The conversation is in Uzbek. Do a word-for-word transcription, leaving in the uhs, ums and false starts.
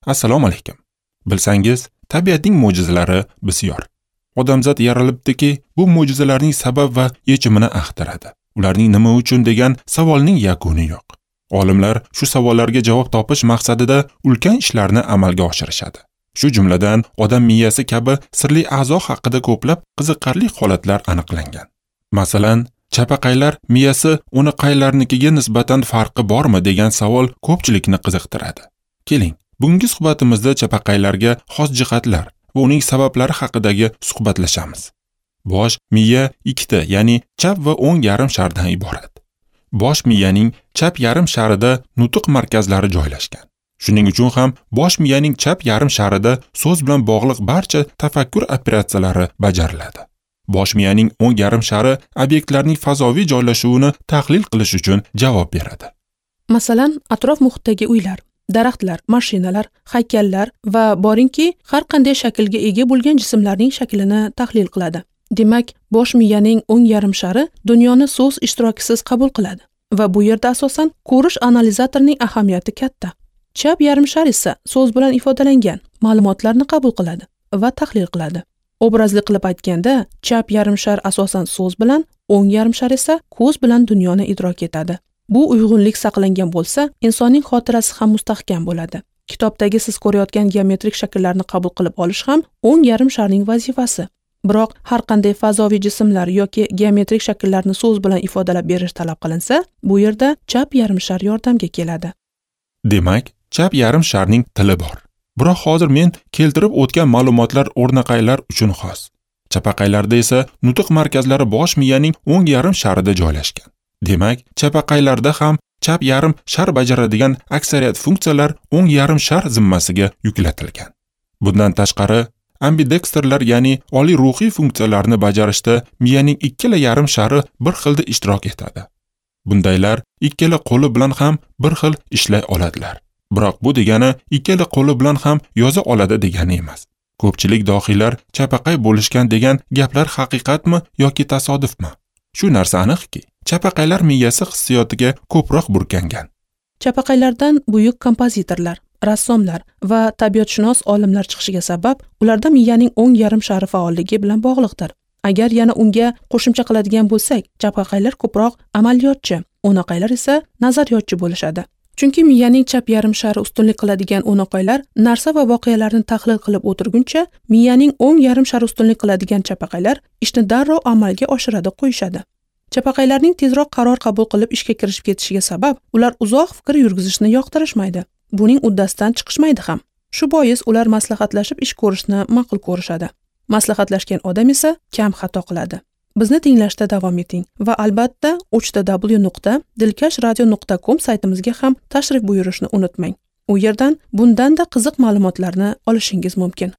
Assalomu alaykum. Bilsangiz, tabiatning mo'jizalari bisyor. Odamzod yaralibdiki, bu mo'jizalarning sabab va yechimini axtaradi. Ularning nima uchun degan savolning yakuni yo'q. Olimlar shu savollarga javob topish maqsadida ulkan ishlarni amalga oshirishadi. Shu jumladan, odam miyasi kabi sirli a'zo haqida ko'plab qiziqarli holatlar aniqlangan. Masalan, chapaqaylar miyasi o'naqaylarnikiga nisbatan farqi bormi degan savol ko'pchilikni qiziqtiradi. Keling, bugungi suhbatimizda chapaqaylarga xos jihatlar va uning sabablari haqidagi suhbatlashamiz. Bosh miya ikkita, ya'ni chap va o'ng yarim shardan iborat. Bosh miyaning chap yarim sharida nutq markazlari joylashgan. Shuning uchun ham bosh miyaning chap yarim sharida so'z bilan bog'liq barcha tafakkur operatsiyalari bajariladi. Bosh miyaning o'ng yarim shari obyektlarning fazoviy joylashuvini tahlil qilish uchun javob beradi. Masalan, atrof muhitdagi uylar, daraxtlar, mashinalar, haykallar va boringki, har qanday shaklga ega bo'lgan jismlarning shaklini tahlil qiladi. Demak, bosh miyaning o'ng yarim shari dunyoni so'z ishtirokisiz qabul qiladi va bu yerda asosan ko'rish analizatorining ahamiyati katta. Chap yarim shar esa so'z bilan ifodalangan ma'lumotlarni qabul qiladi va tahlil qiladi. Obrazli qilib aytganda, chap yarim shar asosan so'z bilan, o'ng yarim shar esa ko'z bilan dunyoni idrok etadi. Bu uyg'unlik saqlangan bo'lsa, insonning xotirasi ham mustahkam bo'ladi. Kitobdagi siz ko'rayotgan geometrik shakllarni qabul qilib olish ham o'ng yarim sharning vazifasi. Biroq har qanday fazoviy jismlar yoki geometrik shakllarni so'z bilan ifodalab berish talab qilinsa, bu yerda chap yarim shar yordamga keladi. Demak, chap yarim sharning tili bor. Biroq hozir men keltirib o'tgan ma'lumotlar o'rnaqaylar uchun xos. Chapaqaylarda esa nutq markazlari bosh miyaning o'ng yarim sharida joylashgan. Demak, chapaqaylarda ham chap yarim shar bajaradigan aksariyat funksiyalar o'ng yarim shar zimmasiga yuklatilgan. Bundan tashqari, ambidexterlar, ya'ni oliy ruhiy funksiyalarni bajarishda miyaning ikkala yarim shari bir xilda ishtirok etadi. Bundaylar ikkala qo'li bilan ham bir xil ishlay oladilar. Biroq bu degani ikkala qo'li bilan ham yoza oladi degani emas. Ko'pchilik dohiylar chapaqay bo'lishgan degan gaplar haqiqatmi yoki tasodifmi? Shu narsa aniqki, chapaqaylar miyasi hissiyotiga ko'proq burkangan. Chapaqaylardan buyuk kompozitorlar, rassomlar va tabiatshunos olimlar chiqishiga sabab ularda miyaning o'ng yarim shari faolligi bilan bog'liqdir. Agar yana unga qo'shimcha qiladigan bo'lsak, chapaqaylar ko'proq amaliyotchi, o'naqaylar esa nazariyotchi bo'lishadi. Chunki miyaning chap yarim shari ustunlik qiladigan o'naqaylar narsa va voqealarni tahlil qilib o'tirguncha, miyaning o'ng yarim shari ustunlik qiladigan chapaqaylar ishni darrov amalga oshiradi qo'yishadi. Chapaqaylarning tezroq qaror qabul qilib ishga kirishib ketishiga sabab ular uzoq fikr yurgizishni yoqtirishmaydi. Buning uddasidan chiqishmaydi ham. Shu bois ular maslahatlashib ish ko'rishni ma'qul ko'rishadi. Maslahatlashgan odam esa kam xato qiladi. Bizni tinglashda davom eting va albatta uch ta w nuqta dilkash radio nuqta com saytimizga ham tashrif buyurishni unutmang. U yerdan bundan-da qiziq ma'lumotlarni olishingiz mumkin.